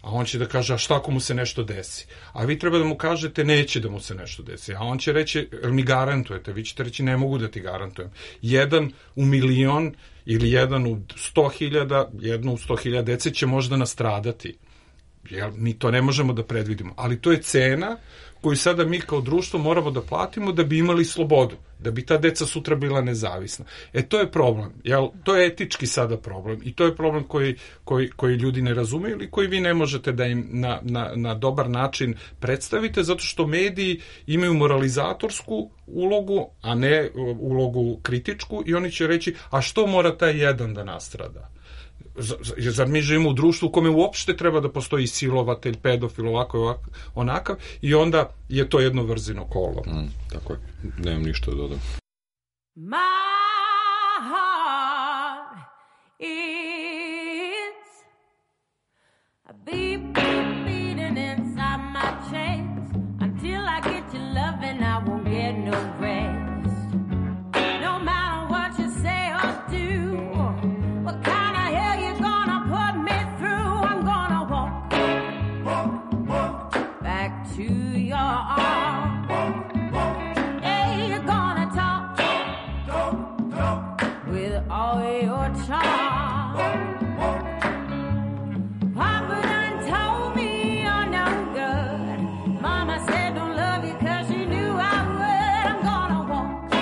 Speaker 5: A on će da kaže, a šta ako mu se nešto desi? A vi treba da mu kažete, neće da mu se nešto desi. A on će reći, jel mi garantujete? Vi ćete reći, ne mogu da ti garantujem. Jedan u milion ili jedan u sto hiljada, jedno u sto hiljada dece će možda nastradati. Jel, mi to ne možemo da predvidimo. Ali to je cena koju sada mi kao društvo moramo da platimo da bi imali slobodu, da bi ta deca sutra bila nezavisna. E, to je problem. Jel, to je etički sada problem i to je problem koji, koji, koji ljudi ne razumeju ili koji vi ne možete da im na, na, na dobar način predstavite, zato što mediji imaju moralizatorsku ulogu, a ne ulogu kritičku i oni će reći, a što mora taj jedan da nastrada? Zar mi živimo u društvu u kome uopšte treba da postoji silovatelj, pedofil, ovako, ovako, onakav, i onda je to jedno vrzino kolo.
Speaker 4: Mm, tako je, nemam ništa da dodam.
Speaker 6: My heart is a beat, beat, beating inside my chest. Until I get your loving, I won't get no rest. No matter what you say or do, what kind to your arms. Hey, you're gonna talk, talk, talk with all your charm. Papa done told me you're no good. Mama said don't love you 'cause she knew I would. I'm gonna walk,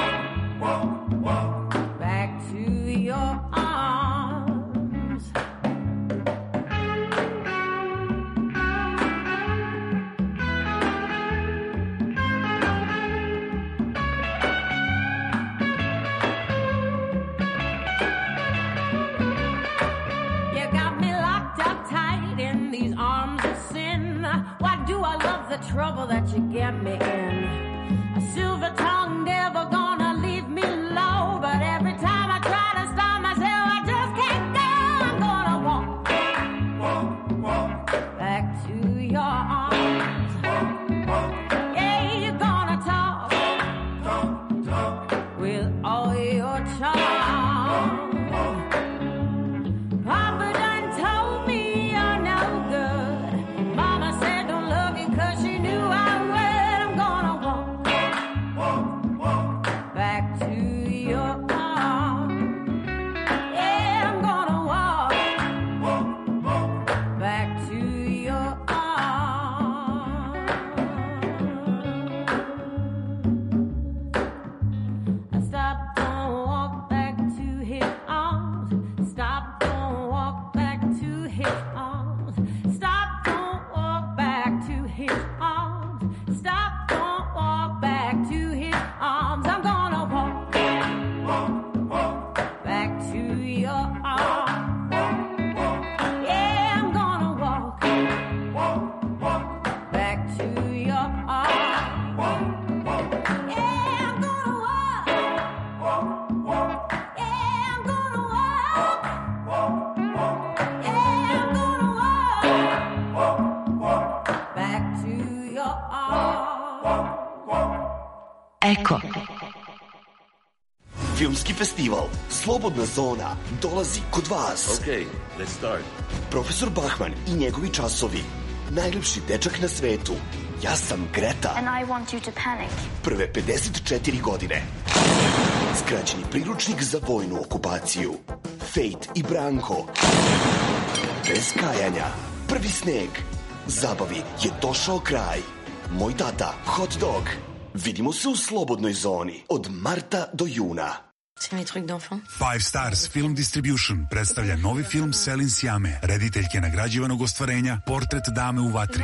Speaker 6: walk, walk back to your arms. The trouble that you get me in. A silver tongue never gonna leave me low, but every time I try to stop myself, I just can't go. I'm gonna walk, walk, walk back to your arms. Yeah, you're gonna talk, talk, talk with all your charm. your arms. Yeah, I'm gonna walk back to your arms. Yeah, I'm gonna walk. Yeah, I'm gonna walk. Yeah, I'm gonna walk back to your arms.
Speaker 2: Eko.
Speaker 7: Filmski festival Slobodna zona dolazi kod vas.
Speaker 8: Okay, let's start.
Speaker 7: Profesor Bachman i njegovi časovi. Najlepši dečak na svetu. Ja sam Greta.
Speaker 9: And I want you to panic.
Speaker 7: Prve pedeset četiri godine. Skraćeni priručnik za vojnu okupaciju. Fate i Branko. Bez kajanja. Prvi sneg. Zabavi je došao kraj. Moj tata, hot dog. Vidimo se u Slobodnoj zoni od marta do juna.
Speaker 9: C'est mes trucs d'enfant.
Speaker 10: Five Stars Film Distribution predstavlja novi film Selin Sjame, rediteljke nagrađivanog ostvarenja Portret dame u vatri.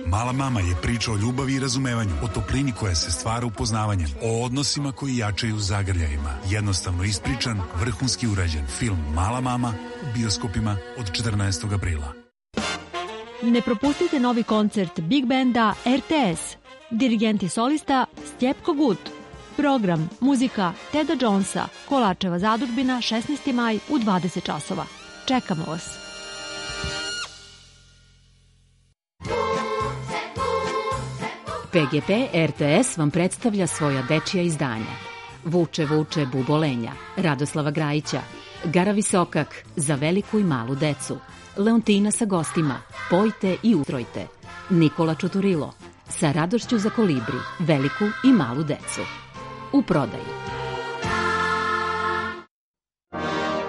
Speaker 10: Mala mama je priča o ljubavi i razumevanju, o toplini koja se stvara upoznavanjem, o odnosima koji jačaju zagrljajima. Jednostavno ispričan, vrhunski urađen film Mala mama u bioskopima od četrnaestog aprila.
Speaker 11: Ne propustite novi koncert Big Banda R T S. Dirigent i solista Stjepko Gut. Program, muzika Teda Jonesa, Kolačeva zadužbina, šesnaesti maj u dvadeset časova. Čekamo vas.
Speaker 12: P G P R T S vam predstavlja svoja dečija izdanja. Vuče, vuče, bubolenja, Radoslava Grajića, Gara Visokak, za veliku i malu decu, Leontina sa gostima, Pojte i ustrojte, Nikola Čuturilo, sa radošću za kolibri, veliku i malu decu. U prodaji.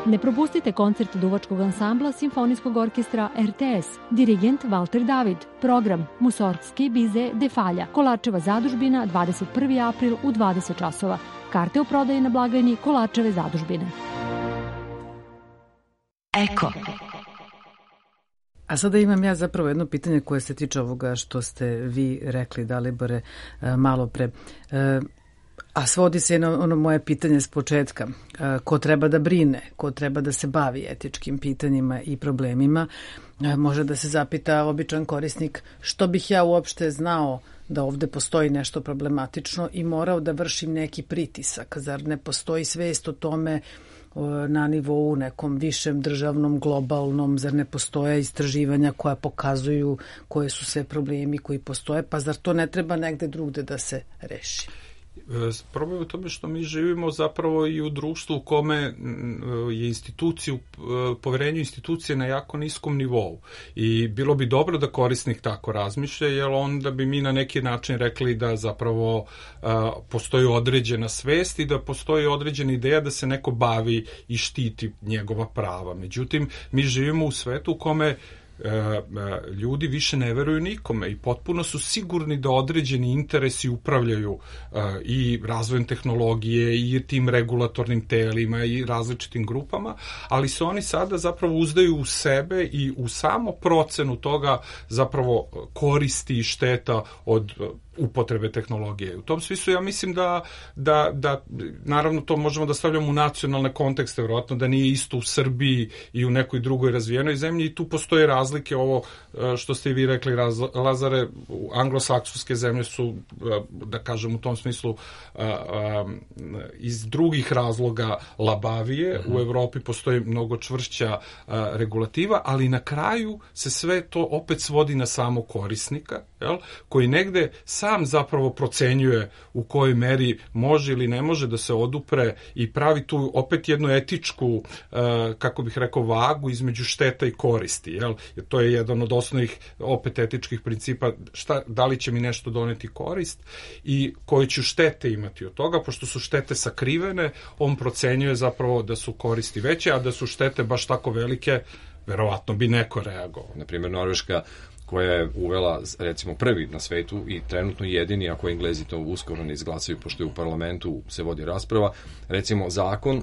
Speaker 11: Ne propustite koncert duvačkog ansambla Simfonijskog orkestra R T S. Dirigent Valter David. Program Musorgski bize de Falja. Kolačeva zadužbina, dvadeset prvi april u dvadeset časova. Karte u prodaji na blagajni Kolačeve zadužbine.
Speaker 2: Eko.
Speaker 3: A sada imam ja zapravo jedno pitanje koje se tiče ovoga što ste vi rekli, Dalibore, malo pre. A svodi se na ono moje pitanje s početka. Ko treba da brine, ko treba da se bavi etičkim pitanjima i problemima, može da se zapita običan korisnik što bih ja uopšte znao da ovde postoji nešto problematično i morao da vršim neki pritisak. Zar ne postoji svest o tome na nivou nekom višem državnom, globalnom, zar ne postoje istraživanja koja pokazuju koje su sve problemi koji postoje, pa zar to ne treba negde drugde da se reši?
Speaker 5: Problem je u tome što mi živimo zapravo i u društvu u kome je instituciju, poverenje institucije na jako niskom nivou. I bilo bi dobro da korisnik tako razmišlja, jer onda bi mi na neki način rekli da zapravo a, postoji određena svest i da postoji određena ideja da se neko bavi i štiti njegova prava. Međutim, mi živimo u svetu u kome ljudi više ne veruju nikome i potpuno su sigurni da određeni interesi upravljaju i razvojem tehnologije i tim regulatornim telima i različitim grupama, ali se oni sada zapravo uzdaju u sebe i u samo procenu toga zapravo koristi i šteta od upotrebe tehnologije. U tom smislu ja mislim da, da, da naravno to možemo da stavljamo u nacionalne kontekste, vjerojatno da nije isto u Srbiji i u nekoj drugoj razvijenoj zemlji i tu postoje razlike. Ovo što ste i vi rekli, Lazare, anglosaksonske zemlje su, da kažem u tom smislu, iz drugih razloga labavije. U Evropi postoji mnogo čvršća regulativa, ali na kraju se sve to opet svodi na samo korisnika, jel, koji negde sam zapravo procenjuje u kojoj meri može ili ne može da se odupre i pravi tu opet jednu etičku, kako bih rekao, vagu između šteta i koristi. Jel? Jer to je jedan od osnovnih opet etičkih principa, šta, da li će mi nešto doneti korist i koje ću štete imati od toga, pošto su štete sakrivene, on procenjuje zapravo da su koristi veće, a da su štete baš tako velike, verovatno bi neko reagovao.
Speaker 4: Naprimjer, Norveška koja je uvela, recimo, prvi na svetu i trenutno jedini, ako Englezi to uskoro ne izglasaju, pošto je u parlamentu se vodi rasprava, recimo zakon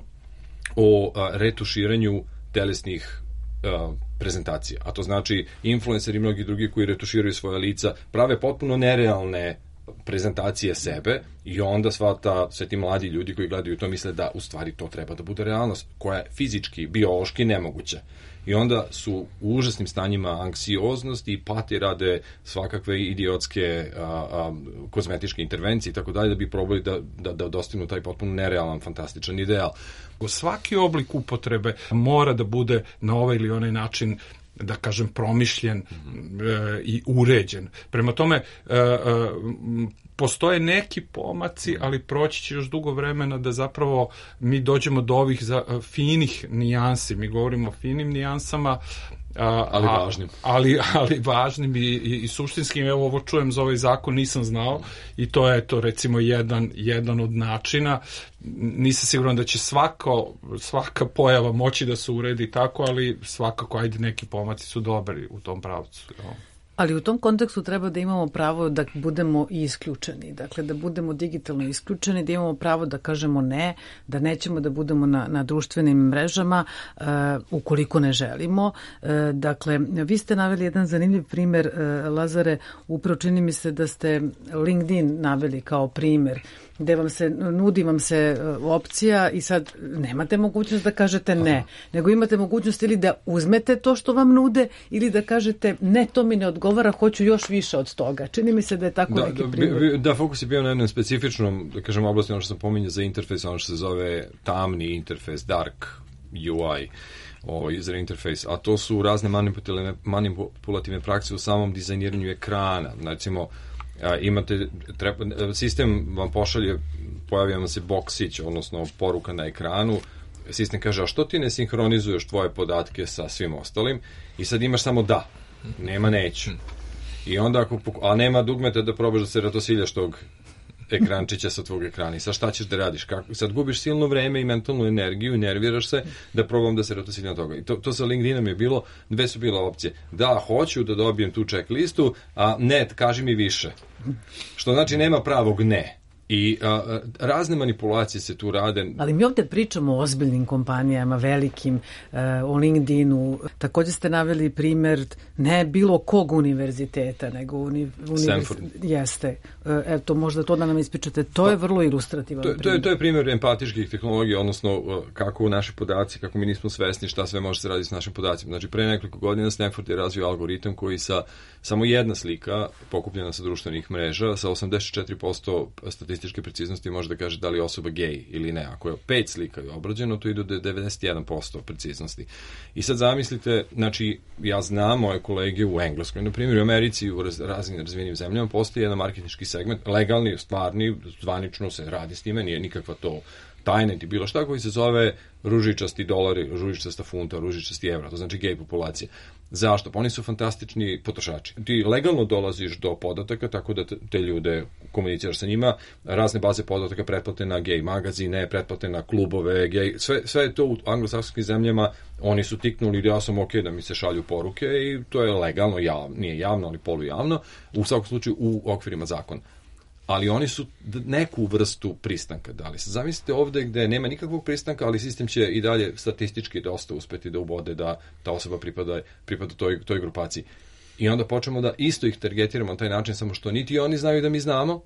Speaker 4: o a, retuširanju telesnih a, prezentacija. A to znači influenceri i mnogi drugi koji retuširaju svoja lica prave potpuno nerealne prezentacije sebe i onda sva ta, sve ti mladi ljudi koji gledaju to misle da u stvari to treba da bude realnost koja je fizički, biološki nemoguća. I onda su u užasnim stanjima anksioznosti i pati, rade svakakve idiotske a, a, kozmetičke intervencije i tako dalje da bi probali da, da, da dostignu taj potpuno nerealan, fantastičan ideal.
Speaker 5: Svaki oblik upotrebe mora da bude na ovaj ili onaj način, da kažem, promišljen mm-hmm. e, i uređen. Prema tome, e, e, postoje neki pomaci, ali proći će još dugo vremena da zapravo mi dođemo do ovih za, finih nijansi. Mi govorimo o finim nijansama, A,
Speaker 4: ali važnim.
Speaker 5: Ali, ali važnim i, i, i suštinskim. Evo, ovo čujem za ovaj zakon, nisam znao i to je to recimo jedan, jedan od načina. Nisam siguran da će svako, svaka pojava moći da se uredi tako, ali svakako, ajde, neki pomaci su dobri u tom pravcu. Jo.
Speaker 3: Ali u tom kontekstu treba da imamo pravo da budemo i isključeni, dakle da budemo digitalno isključeni, da imamo pravo da kažemo ne, da nećemo da budemo na, na društvenim mrežama uh, ukoliko ne želimo. Uh, dakle, vi ste naveli jedan zanimljiv primer, uh, Lazare, upravo čini mi se da ste LinkedIn naveli kao primer, gde vam se, nudi vam se opcija i sad nemate mogućnost da kažete ne, Aha. nego imate mogućnost ili da uzmete to što vam nude ili da kažete ne, to mi ne odgovara, hoću još više od toga. Čini mi se da je tako
Speaker 4: da,
Speaker 3: neki
Speaker 4: da,
Speaker 3: primjer.
Speaker 4: Da, fokus je bio na jednom specifičnom, da kažem, oblasti, ono što sam pominjao za interfejs, ono što se zove tamni interfejs, dark U I, o user interface, a to su razne manipulativne, manipulativne prakse u samom dizajniranju ekrana. Recimo, A, imate, treba, sistem vam pošalje, pojavio vam se boksić, odnosno poruka na ekranu, sistem kaže, a što ti ne sinhronizuješ tvoje podatke sa svim ostalim, i sad imaš samo da, nema neću. I onda, ako, a nema dugmeta da probaš da se ratosiljaš tog ekrančića sa tvog ekrana. I sad šta ćeš da radiš? Kako? Sad gubiš silno vreme i mentalnu energiju i nerviraš se da probam da se ratosiljam toga. I to, to sa LinkedInom je bilo, dve su bile opcije. Da, hoću da dobijem tu checklistu, a ne, kaži mi više. Što znači nema pravog ne. I a, razne manipulacije se tu rade.
Speaker 3: Ali mi ovde pričamo o ozbiljnim kompanijama, velikim, uh, o LinkedInu. Takođe ste naveli primer ne bilo kog univerziteta, nego uni, univerz... jeste. Uh, eto, možda to da nam ispričate. To pa, je vrlo ilustrativan
Speaker 4: to,
Speaker 3: primjer.
Speaker 4: To je, to je primjer empatičkih tehnologija, odnosno uh, kako naši podaci, kako mi nismo svesni šta sve može se raditi s našim podacima. Znači, pre nekoliko godina Stanford je razvio algoritam koji sa samo jedna slika pokupljena sa društvenih mreža sa osamdeset četiri posto statističke preciznosti može da kaže da li je osoba gej ili ne. Ako je pet slika je obrađeno, to ide do devedeset jedan posto preciznosti. I sad zamislite, znači, ja znam moje kolege u Engleskoj, na primjer u Americi, u raz, raznim razvijenim zemljama, postoji jedan marketinški segment, legalni, stvarni, zvanično se radi s time, nije nikakva to tajna ili bilo šta, koji se zove ružičasti dolari, ružičasta funta, ružičasti evra, to znači gej populacija. Zašto? Pa oni su fantastični potrošači. Ti legalno dolaziš do podataka, tako da te ljude komuniciraš sa njima, razne baze podataka, pretplate na gej magazine, pretplate na klubove, gej, sve, sve je to u anglosaksonskim zemljama, oni su tiknuli da ja sam ok da mi se šalju poruke i to je legalno, javno, nije javno, ali polujavno, u svakom slučaju u okvirima zakona. Ali oni su neku vrstu pristanka dali. Zamislite ovde gde nema nikakvog pristanka, ali sistem će i dalje statistički dosta uspeti da ubode da ta osoba pripada, pripada toj, toj grupaciji. I onda počnemo da isto ih targetiramo na taj način, samo što niti oni znaju da mi znamo,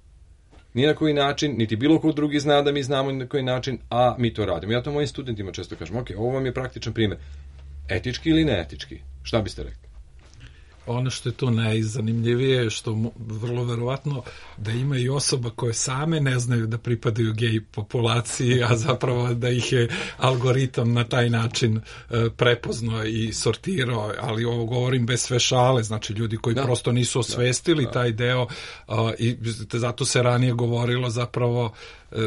Speaker 4: ni na koji način, niti bilo ko drugi zna da mi znamo ni na koji način, a mi to radimo. Ja to mojim studentima često kažem, ok, ovo vam je praktičan primjer. Etički ili neetički? Šta biste rekli?
Speaker 5: Ono što je tu najzanimljivije je što vrlo verovatno da ima i osoba koje same ne znaju da pripadaju gej populaciji, a zapravo da ih je algoritam na taj način prepoznao i sortirao, ali ovo govorim bez sve šale, znači ljudi koji da. prosto nisu osvestili da, da. taj deo i zato se ranije govorilo zapravo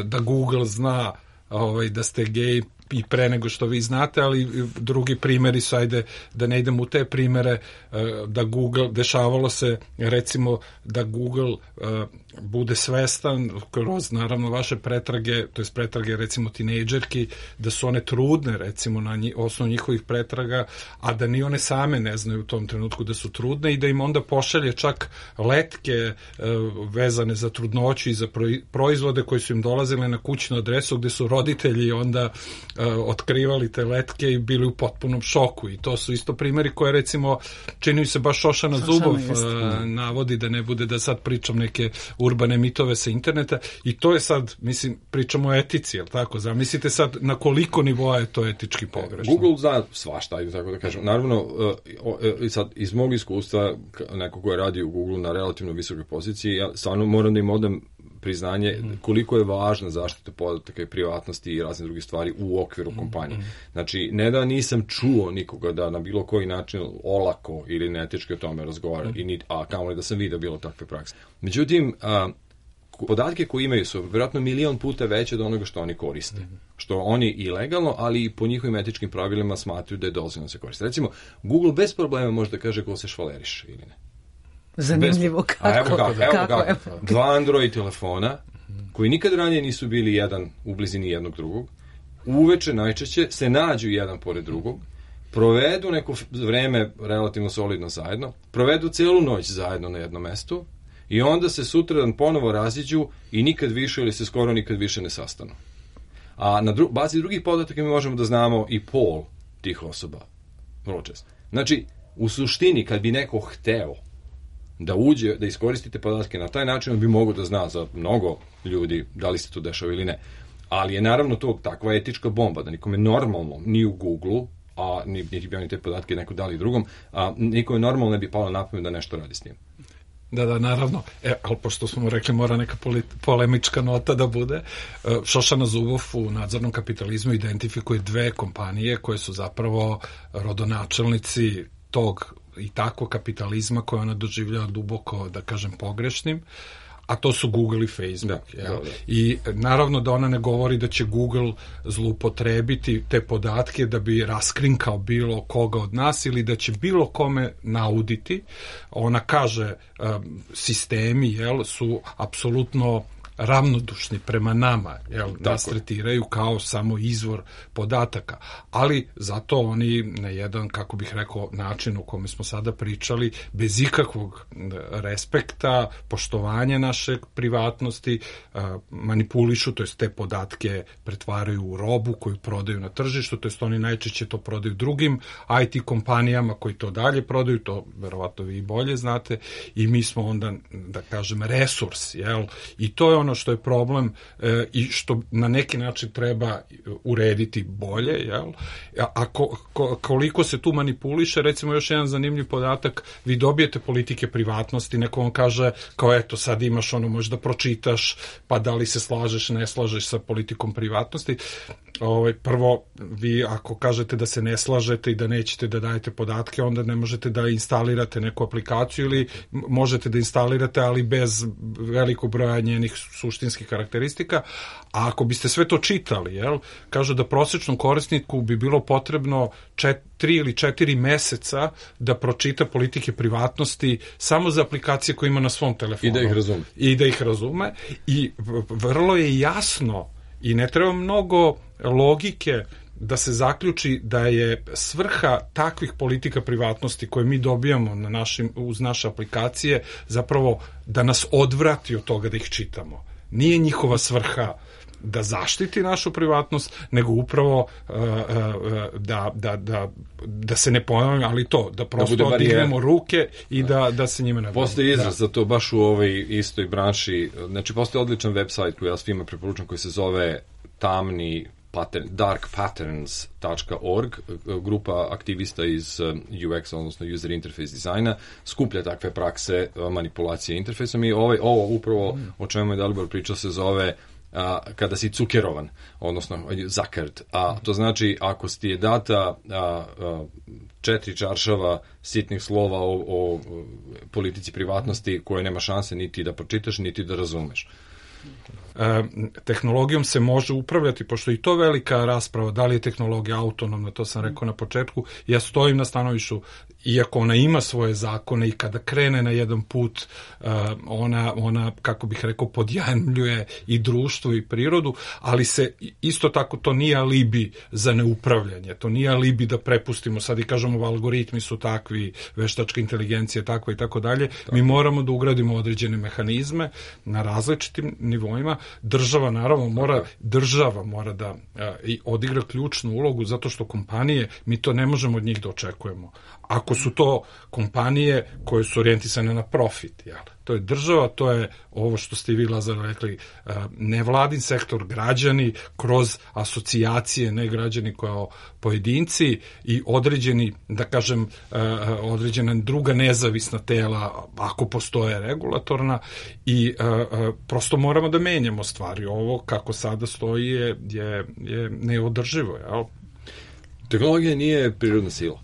Speaker 5: da Google zna ovaj, da ste gej i pre nego što vi znate, ali drugi primjeri su, ajde da ne idem u te primjere, da Google, dešavalo se recimo da Google uh, bude svestan kroz naravno vaše pretrage, to je pretrage recimo tinejdžerki, da su one trudne recimo na nji, osnovu njihovih pretraga, a da ni one same ne znaju u tom trenutku da su trudne i da im onda pošalje čak letke uh, vezane za trudnoću i za proizvode koji su im dolazile na kućnu adresu gde su roditelji onda uh, otkrivali te letke i bili u potpunom šoku i to su isto primjeri koje recimo čini se baš Šošana Zubov uh, navodi, da ne bude da sad pričam neke urbane mitove sa interneta i to je sad, mislim, pričamo o etici, jel tako? Zamislite sad na koliko nivoa je to etički pogrešno.
Speaker 4: Google zna svašta, ajde tako da kažem. Naravno, uh, uh, sad, iz mog iskustva, neko ko je radio u Google na relativno visokoj poziciji, ja stvarno moram da im odam priznanje koliko je važna zaštita podataka i privatnosti i razne druge stvari u okviru kompanije. Znači, ne da nisam čuo nikoga da na bilo koji način olako ili neetički o tome razgovara, i ni, a kamoli da sam vidio bilo takve prakse. Međutim, a, podatke koje imaju su vjerojatno milion puta veće od onoga što oni koriste. Mm-hmm. Što oni i legalno, ali i po njihovim etičkim pravilima smatruju da je dozvoljeno se koriste. Recimo, Google bez problema može da kaže ko se švaleriš ili ne.
Speaker 3: Zanimljivo
Speaker 4: bez...
Speaker 3: kako.
Speaker 4: A evo kako, evo
Speaker 3: kako,
Speaker 4: kako.
Speaker 3: Evo.
Speaker 4: Dva Android telefona, koji nikad ranije nisu bili jedan u blizini jednog drugog, uveče najčešće se nađu jedan pored drugog, provedu neko vreme relativno solidno zajedno, provedu celu noć zajedno na jednom mestu, i onda se sutradan ponovo raziđu i nikad više ili se skoro nikad više ne sastanu. A na dru- bazi drugih podataka mi možemo da znamo i pol tih osoba. Vrlo često. Znači, u suštini, kad bi neko hteo da uđe, da iskoristite podatke na taj način, on bi mogao da zna za mnogo ljudi da li se to dešava ili ne. Ali je naravno to takva etička bomba, da nikome normalno, ni u Google-u, a niti bi oni te podatke neko dali drugom, a nikome normalno ne bi palo na pamet da nešto radi s njim.
Speaker 5: Da, da, naravno. E, ali pošto smo rekli mora neka polit, polemička nota da bude, Šošana Zubov u nadzornom kapitalizmu identifikuje dve kompanije koje su zapravo rodonačelnici tog i takvog kapitalizma koje ona doživljava duboko, da kažem, pogrešnim, a to su Google i Facebook. Da, da, da. I naravno da ona ne govori da će Google zloupotrebiti te podatke da bi raskrinkao bilo koga od nas ili da će bilo kome nauditi. Ona kaže um, sistemi jel, su apsolutno ravnodušni prema nama, jel, nas tretiraju kao samo izvor podataka, ali zato oni na jedan, kako bih rekao, način u kome smo sada pričali, bez ikakvog respekta, poštovanja naše privatnosti, manipulišu, to jest te podatke pretvaraju u robu koju prodaju na tržištu, to jest oni najčešće to prodaju drugim I T kompanijama koji to dalje prodaju, to verovatno vi bolje znate, i mi smo onda, da kažem, resurs, jel, i to je ono što je problem e, i što na neki način treba urediti bolje, jel? A, a ko, ko, koliko se tu manipuliše, recimo još jedan zanimljiv podatak, vi dobijete politike privatnosti, neko vam kaže kao eto sad imaš ono, možda pročitaš, pa da li se slažeš, ne slažeš sa politikom privatnosti. Ovaj, prvo, vi ako kažete da se ne slažete i da nećete da dajete podatke, onda ne možete da instalirate neku aplikaciju ili možete da instalirate, ali bez velikog broja njenih suštinskih karakteristika, a ako biste sve to čitali, jel, kažu da prosječnom korisniku bi bilo potrebno čet, tri ili četiri meseca da pročita politike privatnosti samo za aplikacije koje ima na svom telefonu.
Speaker 4: I da ih razume.
Speaker 5: I da ih razume. I vrlo je jasno i ne treba mnogo logike da se zaključi da je svrha takvih politika privatnosti koje mi dobijamo na našim, uz naše aplikacije zapravo da nas odvrati od toga da ih čitamo. Nije njihova svrha da zaštiti našu privatnost, nego upravo uh, uh, da, da, da, da se ne ponavljamo, ali to, da prosto da odignemo ruke i da, da se njime ne bavimo.
Speaker 4: Postoji izraz za to baš u ovoj istoj branši. Znači, postoji odličan website koji ja svima preporučam koji se zove tamni pattern, dark patterns dot org, grupa aktivista iz U X, odnosno user interface dizajna, skuplja takve prakse manipulacije interfejsom i ovaj, ovo upravo o čemu je Dalibor pričao se zove a, kada si cukerovan, odnosno zuckered, a to znači ako ti je data a, a, četiri čaršava sitnih slova o, o politici privatnosti koje nema šanse niti da pročitaš, niti da razumeš.
Speaker 5: E, tehnologijom se može upravljati, pošto i to velika rasprava, da li je tehnologija autonomna, to sam rekao na početku, ja stojim na stanovištu, iako ona ima svoje zakone i kada krene na jedan put, uh, ona, ona, kako bih rekao, podjavljuje i društvo i prirodu, ali se isto tako to nije alibi za neupravljanje, to nije alibi da prepustimo, sad i kažemo algoritmi su takvi, veštačka inteligencija takva i tako dalje, mi moramo da ugradimo određene mehanizme na različitim nivoima, država naravno mora, država mora da a, i odigra ključnu ulogu, zato što kompanije, mi to ne možemo od njih da očekujemo. Ako su to kompanije koje su orijentisane na profit, jel? To je država, to je ovo što ste i vi, Lazar, rekli, nevladin sektor, građani kroz asocijacije, ne građani kao pojedinci i određeni, da kažem, određena druga nezavisna tela, ako postoje regulatorna, i prosto moramo da menjamo stvari. Ovo kako sada stoji je, je, je neodrživo, jel?
Speaker 4: Tehnologija nije prirodna sila.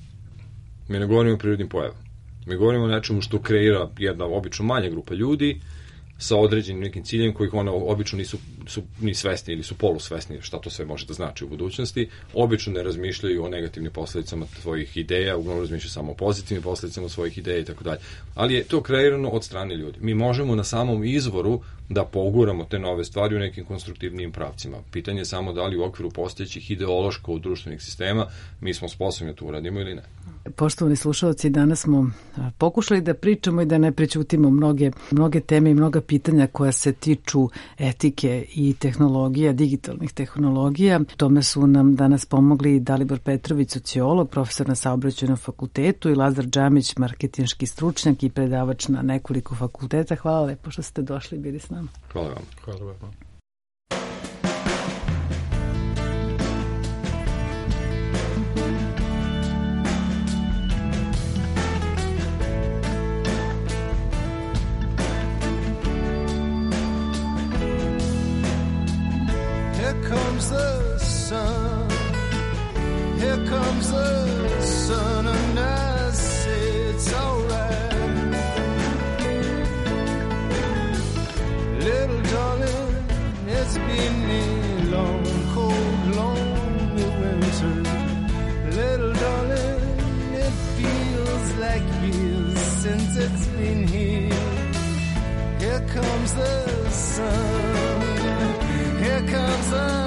Speaker 4: Mi ne govorimo o prirodnim pojavama. Mi govorimo o nečemu što kreira jedna obično manja grupa ljudi sa određenim nekim ciljem kojih ona obično nisu su ni svesni ili su polusvesni šta to sve može da znači u budućnosti. Obično ne razmišljaju o negativnim posledicama svojih ideja, uglavnom razmišljaju samo o pozitivnim posledicama svojih ideja i tako dalje. Ali je to kreirano od strane ljudi. Mi možemo na samom izvoru da poguramo te nove stvari u nekim konstruktivnijim pravcima. Pitanje je samo da li u okviru postojećih ideološko-društvenih sistema mi smo sposobni da to uradimo ili ne.
Speaker 3: Poštovani slušalci, danas smo pokušali da pričamo i da ne prećutimo mnoge, mnoge teme i mnoga pitanja koja se tiču etike i tehnologija, digitalnih tehnologija. Tome su nam danas pomogli Dalibor Petrović, sociolog, profesor na Saobraćajnom fakultetu, i Lazar Džamić, marketinški stručnjak i predavač na nekoliko fakulteta. Hvala lepo što ste došli i bili s nama.
Speaker 4: Hvala vam.
Speaker 5: Hvala vam.
Speaker 8: Comes the sun, here comes the sun, and I say it's alright. Little darling, it's been a long, cold, lonely winter. Little darling, it feels like years since it's been here. Here comes the sun, here comes the